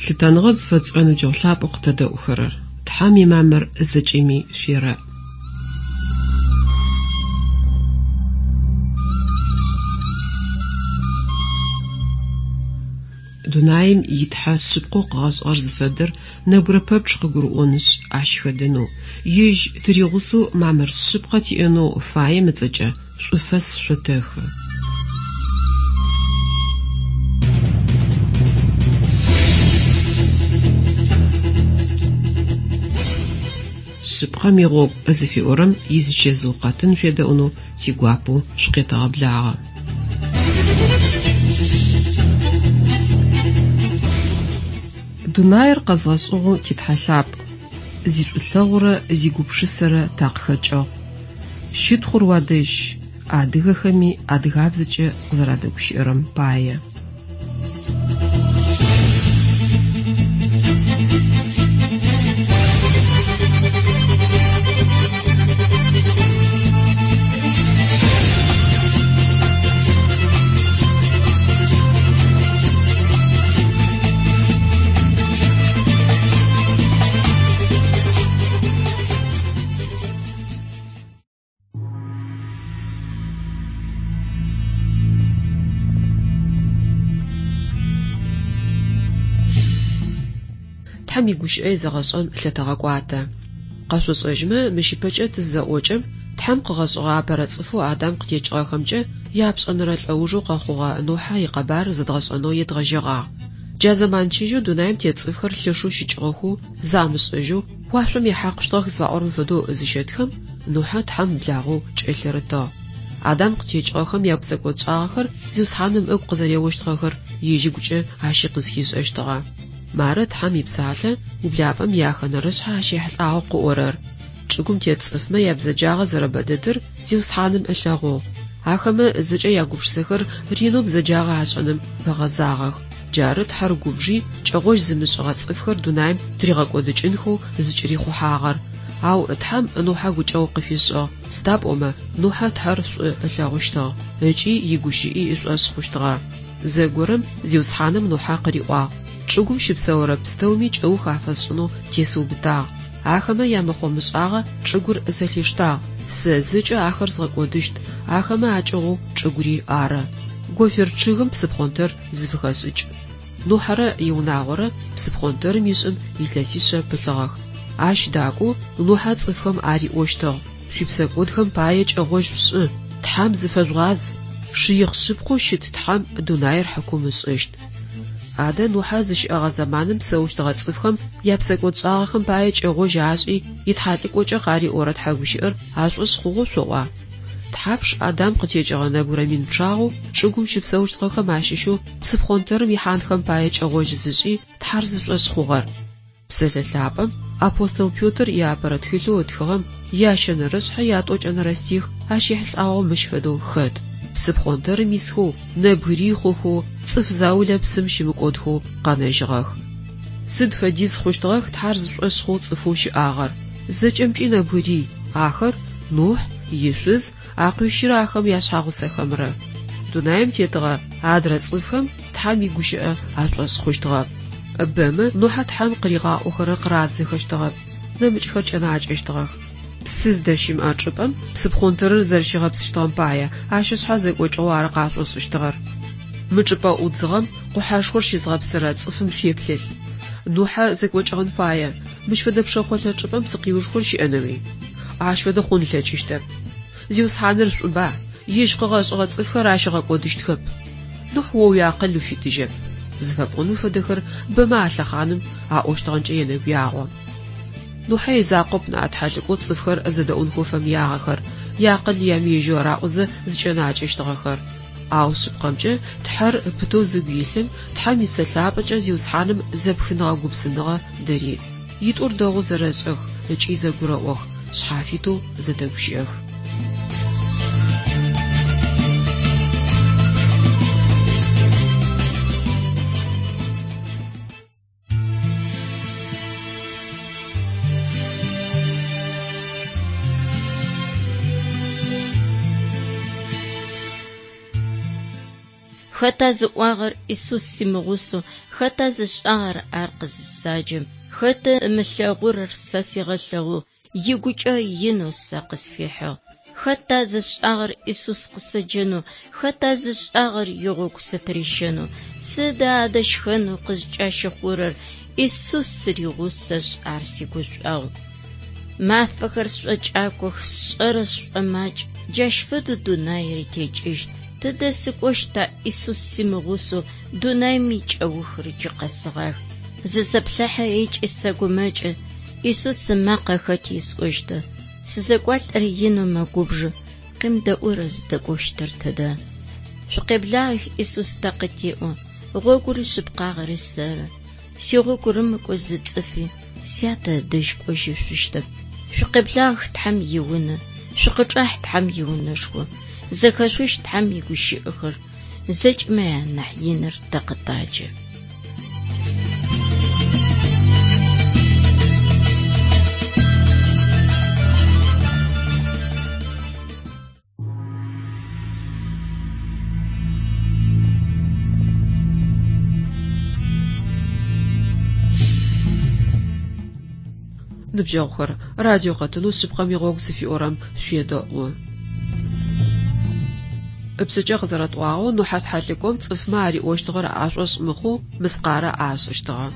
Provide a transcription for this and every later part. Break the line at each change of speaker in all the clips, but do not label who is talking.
Лъытэныгъэ зыфэтшӏырэ ныбджэгъу лъапӏэу къытэдэӏухэрэр! Тхьэм имамыр зэкӏэми шъуерэӏ. Дунаим и Тхьэ шъыпкъэу къыгъэшӏыгъэр зыфэдэр нэбгырэ пэпчъ къыгурыӏонышъ, ащ хэдэнэу, ежь тыригъусэу мамыр шъыпкъэ тиӏэнэу фаем ыцӏэкӏэ шӏуфэс шъотэхы. Шъыпкъэм игъогу зыфиӏорэм изычэзыу къэтын шъуедэӏунэу тигуапэу шъукъетэгъэблагъэ. Дунаир къэзгъэшӏыгъэу ти Тхьэ лъапӏ, зишӏулъэгъурэ зигупшысэрэ такъыхэкӏыгъ. Щытхъур уадэжь, адыгэхэми адыгабзэкӏэ къызэрадэгущыӏэрэм пае. Тхьэм игущыӏэ изэгъэшӏэн лъэтэгъэкӏуатэ. Къэшъошӏэжьмэ, мыщ ыпэкӏэ тыззэӏокӏэм, Тхьэм къыгъэшӏыгъэ апэрэ цӏыфэу Адам къытекӏыгъэхэмкӏэ япшӏэнэрэ лӏэужэу къэхъугъэ Нухьэ икъэбар зэдгъэшӏэнэу едгъэжьэгъагъ. Джа зэман чыжьэу дунаим тет цӏыфхэр лъэшэу щыкӏыгъэхэу, замышӏэжьэу, уашъом ехьакъущтыгъэх зыфаӏорэм фэдэу зыщэтхэм, Нухьэ Тхьэм благъэу кӏэлъырытыгъ. Адам къытекӏыгъэхэм япсэкӏодшӏагъэхэр Зиусхьаным ыгу къызэреощтыгъэхэр ежь ыгукӏэ ащи къызхишӏэщтыгъэ. Мары Тхьэм ипсалъэ ублапӏэм иахэнэрэшъхьэ ащ ехьылӏагъэу къыӏорэр, Чӏыгум тет цӏыфмэ ябзэджагъэ зэрэбэдэдыр Зиусхьаным ылъэгъугъ. Ахэмэ зэкӏэ ягупшысэхэр ренэу бзэджагъэ ашӏэным фэгъэзагъэх. Джары Тхьэр губжи, кӏэгъожь зымышӏыгъэ цӏыфхэр дунаим тыригъэкӏодыкӏынхэу зыкӏырихъухьагъэр. Ау Тхьэм Нухьэ гукӏэгъу къыфишӏыгъ, сыда пӏомэ Нухьэ Тхьэр шӏу ылъэгъущтыгъ, ыкӏи игущыӏи ышӏошъ хъущтыгъэ. Зэгорэм Зиусхьаным Нухьэ къыриӏуагъ, Чӏыгум щыпсэурэ пстэуми кӏэух афэсшӏынэу тесыубытагъ. Ахэмэ ямыхъо-мышӏагъэ чӏыгур зэлъиштагъ, сэ зэкӏэ ахэр згъэкӏодыщт, ахэмэ акӏыгъоу чӏыгури ары. Гофер чъыгым псыпхъонтэр зыфыхэшӏыкӏ. Нухьэрэ иунагъорэ псыпхъонтэрым ишӏын илъэсишъэ пылъыгъэх. Ащ дакӏоу Нухьэ цӏыфхэм ариӏощтыгъ, Шъуипсэкӏодхэм пае кӏэгъожь шъушӏы, Тхьэм зыфэжъугъаз, шыихъ шъыпкъэу щыт Тхьэм дунаир хьыкум ышӏыщт. Адэ Нухьэ зыщыӏэгъэ зэманым псэущтыгъэ цӏыфхэм япсэкӏодшӏагъэхэм пае кӏэгъожь ашӏи, итхьалӏыкӏокӏэ къариӏорэ тхьэгущыӏэр ашӏошъ хъугъэу шъоӏуа? Тхьапш Адам къытекӏыгъэ нэбгырэ мин пчъагъэу чӏыгум щыпсэущтыгъэхэм ащыщэу псыпхъонтэрым ихьанхэм пае кӏэгъожь зышӏи, Тхьэр зышӏошъ хъугъэр? Псэлъэ лъапӏэм апостол Петр иапэрэ тхылъэу ытхыгъэм ящэнэрэшъхьэ ятӏокӏэнэрэ стих ащ ехьылӏагъэу мыщ фэдэу хэт, Псыпхъонтэрым исхэу, нэбгырий хъухэу, цӏыф заулэ псым щымыкӏодхэу къэнэжьыгъэх. Сыд фэдиз хъущтыгъэх Тхьэр зышӏошъ хъоу цӏыфэу щыӏагъэр? Зэкӏэмкӏи нэбгырий, ахэр, Нухь, ишъуз, акъуищырэ ахэм яшъхьагъусэхэмрэ. Дунаим тетыгъэ адрэ цӏыфхэм Тхьэм игущыӏэ ашӏошъ хъущтыгъэп. Бэмэ Нухьэ Тхьэм къыригъаӏохэрэр къырадзэхэщтыгъэп, нэмыкӏхэр кӏэнакӏэщтыгъэх. Псы зыдэщымыӏэ чӏыпӏэм псыпхъонтэрыр зэрэщигъэпсыщтыгъэм пае, ащ ышъхьэ зэкӏокӏыгъэу ары къашӏошӏыщтыгъэр. Мы чӏыпӏэ ӏудзыгъэм къухьэшхор щызгъэпсырэ цӏыфым шъуеплъылъ. Нухьэ зэкӏокӏыгъэн фае, мыщ фэдэ пшэхъолъэ чӏыпӏэм псыкъиушхор щыӏэнэуи? Ащ фэдэ хъун ылъэкӏыщтэп. Зиусхьаныр шӏуба, ежь къыгъэшӏыгъэ цӏыфхэр ащ ыгъэкӏодыщтхэп. Нухь о уиакъыл уфитыжьэп. Зыфэпӏоным фэдэхэр бэмэ а лъэхъаным аӏощтыгъэнкӏэ енэгуягъо. Нухьэ изакъоп ныӏа тхьэлӏыкӏоу цӏыфхэр зэдэӏунхэу фэмыягъэхэр, яакъыл ямыежьэу араӏозэ зыкӏэнакӏэщтыгъэхэр. Ау шъыпкъэмкӏэ Тхьэр пытэу зыгу илъым Тхьэм и Псэ Лъапӏэкӏэ Зиусхьаным зэпхыныгъэ-гупсыныгъэ дыриӏ. Итӏур дэгъоу зэрэшӏэх ыкӏи зэгурэӏох, шъхьафитэу зэдэгущыӏэх.
Хэта зыӏуагъэр Исус симыгъусэу, хэта зышӏагъэр ар къызысаджэм? Хэты ымылъэгъурэр сэ сигъэлъэгъугъ, игукӏэ инэу сэ къысфихьыгъ. Хэта зышӏагъэр Исус къысэджэнэу, хэта зышӏагъэр игъогу сытырищэнэу? Сыда адэ щхэнэу къызкӏащыхъурэр? Исус сыригъусэшъ, ар сигушӏуагъу. Мафэхэр сшӏокӏакох, сшӏэрэр сшӏомакӏ, джащ фэдэу дунаири текӏыщт. Тыдэ сыкӏощта Исус симыгъусэу, дунаим икӏэухыр джы къэсыгъах. Зысэплъыхьэ ыкӏи сэгумэкӏы, Исус ымакъэ хэти есӏощта? Сызэкӏуалӏэр инэу мэгубжы, къемыдэӏурэр зыдэкӏощтыр тыдэ? Шъукъеблагъэх, Исус тэ къытеӏо, гъогури шъыпкъагъэри сэры. Сигъогу рымыкӏоу зы цӏыфи Сятэ ыдэжь кӏожьышъущтэп. Шъукъеблагъэх Тхьэм иунэ, шъукъычӏахь Тхьэм иунэшхо, зэхэшъущт Тхьэм игущыӏэхэр, зэкӏэмэ анахь иныр тэ къытаджэ.
Ныбджэгъухэр, радио къэтынэу Шъыпкъэм игъогу зыфиӏорэм шъуедэӏу. Ыпшъэкӏэ къызэрэтӏуагъэу, Нухьэ тхьэлӏыкӏом цӏыфмэ ариӏощтыгъэр ашӏошъ мыхъоу мыскъарэ ашӏыщтыгъэ.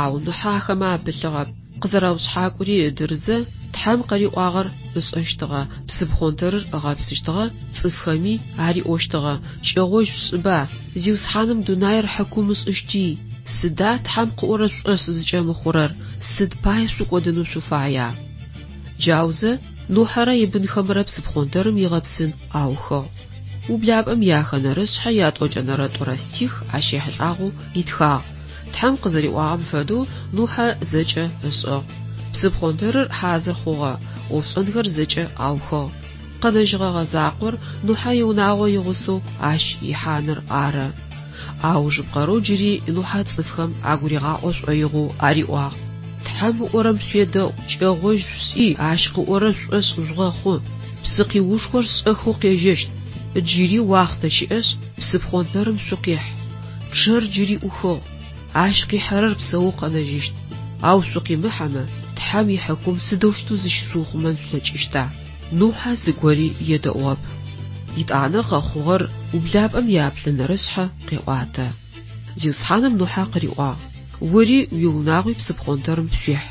Ау Нухьэ ахэмэ апылъыгъэп. Къызэраушъхьакӏури ыдырызэ, Тхьэм къыриӏуагъэр ышӏэщтыгъэ, псыпхъонтэрыр ыгъэпсыщтыгъэ, цӏыфхэми ариӏощтыгъэ, Кӏэгъожь шъушӏыба, Зиусхьаным дунаир хьыкум ышӏыщти! Сыда Тхьэм къыӏорэр шъушӏошъ зыкӏэмыхъурэр, сыд пае шъукӏодынэу шъуфая? Джаузэ Нухьэрэ ибынхэмрэ псыпхъонтэрым игъэпсын аухыгъ. Ублапӏэм яхэнэрэ шъхьэ ятӏокӏэнэрэ тӏурэ стих ащ ехьылӏагъэу итхагъ. Тхьэм къызэриӏуагъэм фэдэу Нухьэ зэкӏэ ышӏыгъ. Псыпхъонтэрыр хьазыр хъугъэ, ӏофшӏэнхэр зэкӏэ аухыгъ. Къэнэжьыгъэгъэ закъор Нухьэ иунагъо игъусэу ащ ихьаныр ары. Аужыпкъэрэу джыри Нухьэ цӏыфхэм агуригъаӏо шӏоигъоу ариӏуагъ, Тхьэм ыӏорэм шъуедэӏу, кӏэгъожь шъушӏи, ащ къыӏорэр шъушӏошъ жъугъэхъу. Псыкъиушхор шӏэхэу къежьэщт. Джыри уахътэ щыӏэшъ, псыпхъонтэрым шъукъихь. Пчъэр джыри ӏухыгъ. Ащ къихьэрэр псэоу къэнэжьыщт. Ау шъукъимыхьэмэ, Тхьэм ихьыкум сыдэущтэу зыщышъуухъумэн шъулъэкӏыщта? Нухьэ зыгори едэӏугъэп. Етӏанэ къэхъугъэр ублапӏэм яплӏэнэрэ шъхьэ къеӏуатэ. Зиусхьаным Нухьэ къыриӏуагъ, Ори уиунагъуи псыпхъонтэрым шъуихь.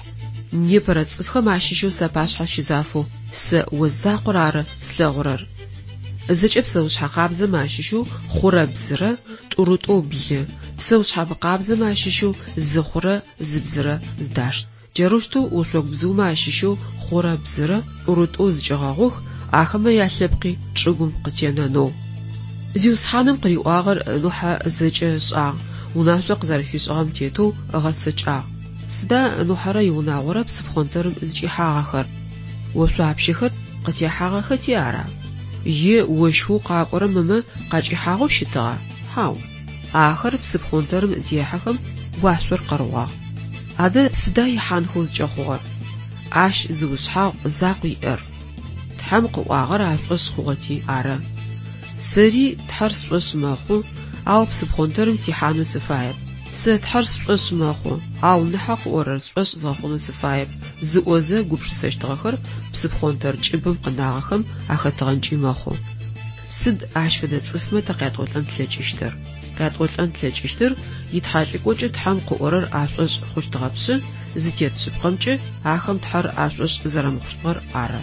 Непэрэ цӏыфхэм ащыщэу сапашъхьэ щызафэу сэ о закъор ары слъэгъурэр. Зэкӏэ псэушъхьэ къабзэмэ ащыщэу хъурэ бзырэ, тӏурытӏоу блы, псэушъхьэ мыкъабзэмэ ащыщэу зы хъурэ зы бзырэ здашт. Джарэущтэу ошъогу бзыумэ ащыщэу хъурэ бзырэ, тӏурытӏоу зыкӏэгъэгъух, ахэмэ ялъэпкъи чӏыгум къытенэнэу. Зиусхьаным къыриӏуагъэр Нухьэ зэкӏэ ышӏагъ, унашъо къызэрэфишӏыгъэм тетэу ыгъэцэкӏагъ. Сыда Нухьэрэ иунагъорэ псыпхъонтэрым зыкӏихьагъэхэр? Ошъуапщэхэр къытехьагъэхэти ара? Е ощхэу къакӏорэм ымэ къакӏихьагъэу щытыгъа? Хьау. Ахэр псыпхъонтэрым зехьэхэм, уашъор къэргъуагъ. Адэ сыда ихьанхэу зыкӏэхъугъэр? Ащ зы ушъхьагъу закъу иӏэр. Тхьэм къыӏуагъэр ашӏошъ хъугъэти ары. Сэри Тхьэр сшӏошъ мэхъу, ау псыпхъонтэрым сихьанэу сыфаеп. Сэ Тхьэр сшӏошъ мэхъу, ау Нухьэ къыӏорэр сшӏошъ згъэхъунэу сыфаеп, зыӏозэ гупшысэщтыгъэхэр псыпхъонтэр кӏыбым къынагъэхэм ахэтыгъэнкӏи мэхъу. Сыд ащ фэдэ цӏыфмэ тэ къятӏолӏэн тлъэкӏыщтыр? Къятӏолӏэн тлъэкӏыщтыр итхьэлӏыкӏокӏэ Тхьэм къыӏорэр ашӏошъ хъущтыгъэпшъы, зытет шъыпкъэмкӏэ ахэм Тхьэр ашӏошъ зэрэмыхъущтыгъэр ары.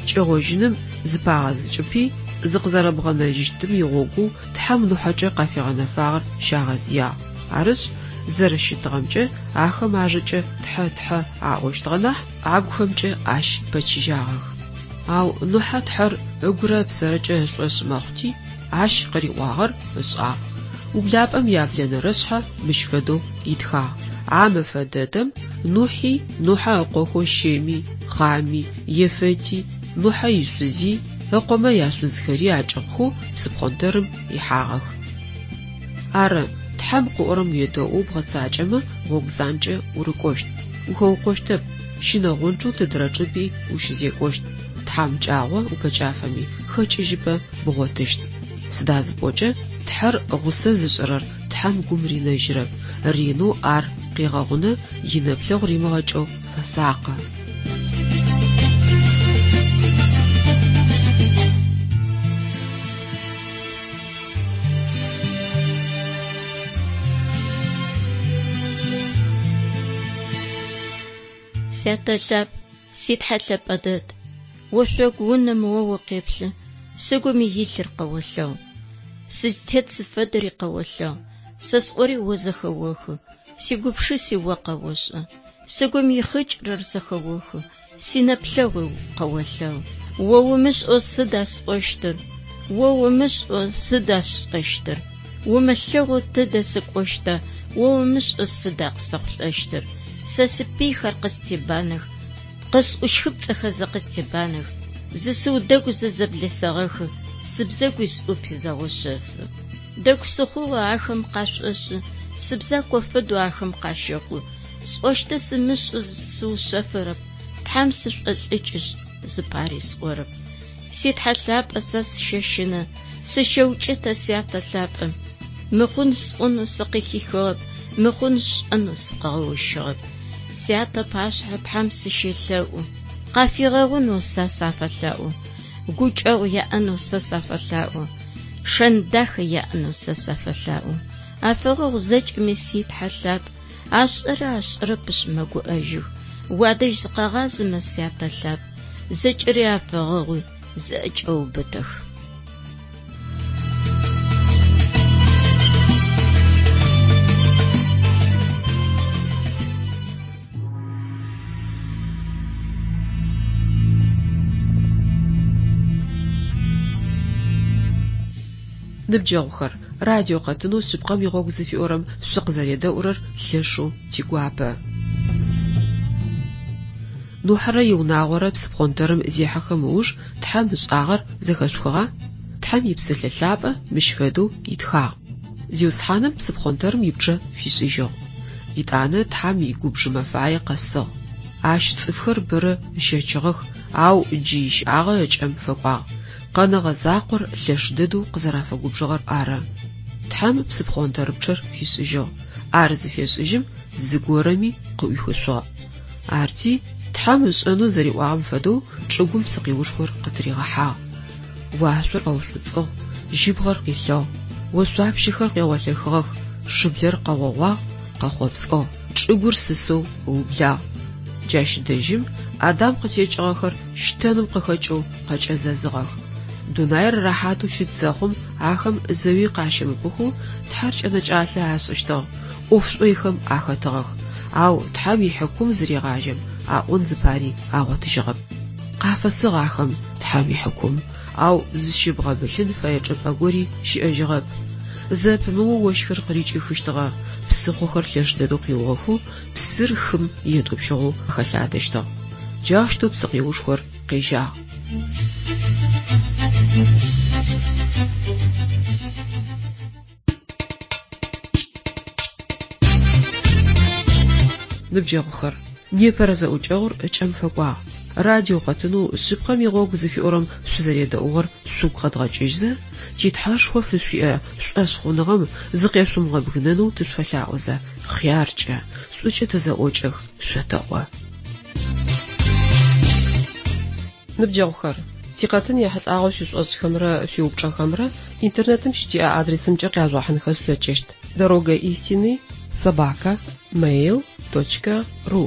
Кӏэгъожьыным зыпагъэзыкӏыпи, зыкъызэрэбгъэнэжьыщтым игъогоу Тхьэм Нухьэкӏэ къафигъэнэфагъэр щагъэзыягъ. Арышъ, зэрэщытыгъэмкӏэ ахэм ажэкӏэ Тхьэ, Тхьэ аӏощтыгъэ нахь, агухэмкӏэ ащ пэчыжьагъэх. Ау Нухьэ Тхьэр ыгурэ ыпсэрэкӏэ ышӏошъ мэхъути, ащ къыриӏуагъэр ышӏагъ. Ублапӏэм яблэнэрэ шъхьэ мыщ фэдэу итхагъ, А мэфэ дэдэм Нухьи, Нухьэ ыкъохэу Щеми, Хъами, Ефэти, Нухьэ ишъузи, ыкъомэ яшъузхэри акӏыгъухэу псыпхъонтэрым ихьагъэх. Ары, Тхьэм къыӏорэм уедэӏоу бгъэцакӏэмэ, гъогу занкӏэ урыкӏощт, ухэукъощтэп, щынэгъончъэу тыдрэ чӏыпӏи ущызекӏощт, тхьамыкӏагъо упэкӏафэми, хэкӏыжьыпӏэ бгъотыщт. Сыда зыпӏокӏэ, Тхьэр гъусэ зышӏырэр Тхьэм гум ринэжьырэп, ренэу ар къегъэгъунэ, инэплъэгъу римыгъэкӏэу фэсакъы.
Сятэ лъапӏ, си Тхьэ лъэпӏэ дэд, ошъогу унэм о укъеплъы, сыгум илъыр къэолъэгъу. Сызтет зыфэдэри къэолъэгъу, сэ сӏори о зэхэохы, сигупшыси о къэошӏэ. Сыгум ихъыкӏырэр зэхэохы, синэплъэгъуи къэолъэгъу. О умышӏэу сыда сӏощтыр? О умышӏэу сыда сшӏэщтыр? Умылъэгъоу тыдэ сыкӏощта? О умышӏэу сыда къысэхъулӏэщтыр? Сэ сипыйхэр къыстебанэх, къысӏущхыпцӏэхэзэ къыстебанэх, зысыудэгузэ зэблесэгъэхы, сыбзэгуи сӏупи зэгъошъэфы. Дэгу сыхъугъэу ахэм къашӏошӏы, сыбзако фэдэу ахэм къащэхъу. Сӏощтыр сымышӏэу сыушъэфырэп, Тхьэм сышӏолӏыкӏышъ, зыпари сӏорэп. Си Тхьэ лъапӏэ сэ сыщэщынэ, сыщэукӏытэ сятэ лъапӏэм. Мыхъун сӏонэу сыкъыхихыгъэп, мыхъун сшӏэнэу сыкъыгъэущыгъэп. Сятэ пашъхьэ Тхьэм сыщелъэӏу, къафигъэгъунэу сэ сафэлъаӏо, гукӏэгъу яӏэнэу сэ сафэлъаӏо, шэн дахэ яӏэнэу сэ сафэлъаӏо. Афэгъэгъу зэкӏэми си Тхьэ лъапӏ, ашӏэрэ ашӏэрэпышъ мэгуӏэжьых. Уадэжь зыкъагъазэмэ, сятэ лъапӏ, зэкӏэри афэгъэгъуи, зыӏэкӏэубытэх.
Ныбджэгъухэр, радио къэтынэу Шъыпкъэм игъогу зыфиӏорэм шъукъызэредэӏурэр лъэшэу тигуапэ. Нухьэрэ иунагъорэ псыпхъонтэрым зехьэхэм ыуж Тхьэм ышӏагъэр зэхэшъухыгъа? Тхьэм и Псэлъэ Лъапӏэ мыщ фэдэу итхагъ. Зиусхьаным псыпхъонтэрым ипчъэ фишӏыжьыгъ. Етӏанэ Тхьэм игубж мэфае къэсыгъ. Ащ цӏыфхэр бэрэ ыщэчыгъэх, ау джы ищыӏагъэ ыкӏэм фэкӏуагъ. Къэнэгъэ закъор лъэш дэдэу къызэрафэгубжыгъэр ары. Тхьэм псыпхъонтэрыпчъэр фишӏыжьыгъ. Ар зыфешӏыжьым зыгорэми къыӏуихышъугъэп. Арти, Тхьэм ышӏэнэу зэриӏуагъэм фэдэу чӏыгум псыкъиушхор къытыригъэхьагъ. Уашъор къэушӏуцӏыгъ, жьыбгъэр къилъыгъ, ошъуапщэхэр къегъолъэхыгъэх, шыблэр къэгъогъуагъ, къэхъопскӏыгъ, чӏыгур сысэу ыублагъ. Джащ дэжьым Адам къытекӏыгъэхэр щтэным къыхэкӏэу къэкӏэзэзыгъэх. Дунаир рэхьатэу щыт зэхъум ахэм зэуи къащымыхъухэу Тхьэр кӏэнэкӏалъэ ашӏыщтыгъ, ӏоф шӏойхэм ахэтыгъэх. Ау Тхьэм ихьыкум зырегъажьэм, аӏон зыпари агъотыжьыгъэп. Къафэсыгъ ахэм Тхьэм ихьыкум, ау зыщыбгъэбылъын фэе чӏыпӏэ гори щыӏэжьыгъэп. Зэпымыоу ощхыр къырикӏыхыщтыгъэ, псыхъохэр лъэш дэдэу къиугъэхэу псыр хым етӏупщыгъэу хэлъадэщтыгъ. Джаущтэу псыкъиушхор къежьагъ. Ныбджэгъухэр, непэрэ зэӏукӏэгъур ыкӏэм фэкӏуагъ. Радио къэтынэу Шъыпкъэм игъогу зыфиӏорэм шъузэредэӏугъэр шъугу къэдгъэкӏыжьзэ, ти Тхьэшхо фышъуиӏэ шӏошъхъуныгъэм зыкъешъумыгъэбгынэнэу тышъуфэлъаӏозэ, хъяркӏэ, шӏукӏэ тызэӏокӏэх шъотэӏо. Ныбджэгъухэр, тикъэтын ехьылӏагъэу шъуишӏошӏхэмрэ шъуиупчӏэхэмрэ интернетым щытиӏэ адресымкӏэ къяжъугъэхьынхэ шъулъэкӏыщт: Дорога истины собака mail точка ru.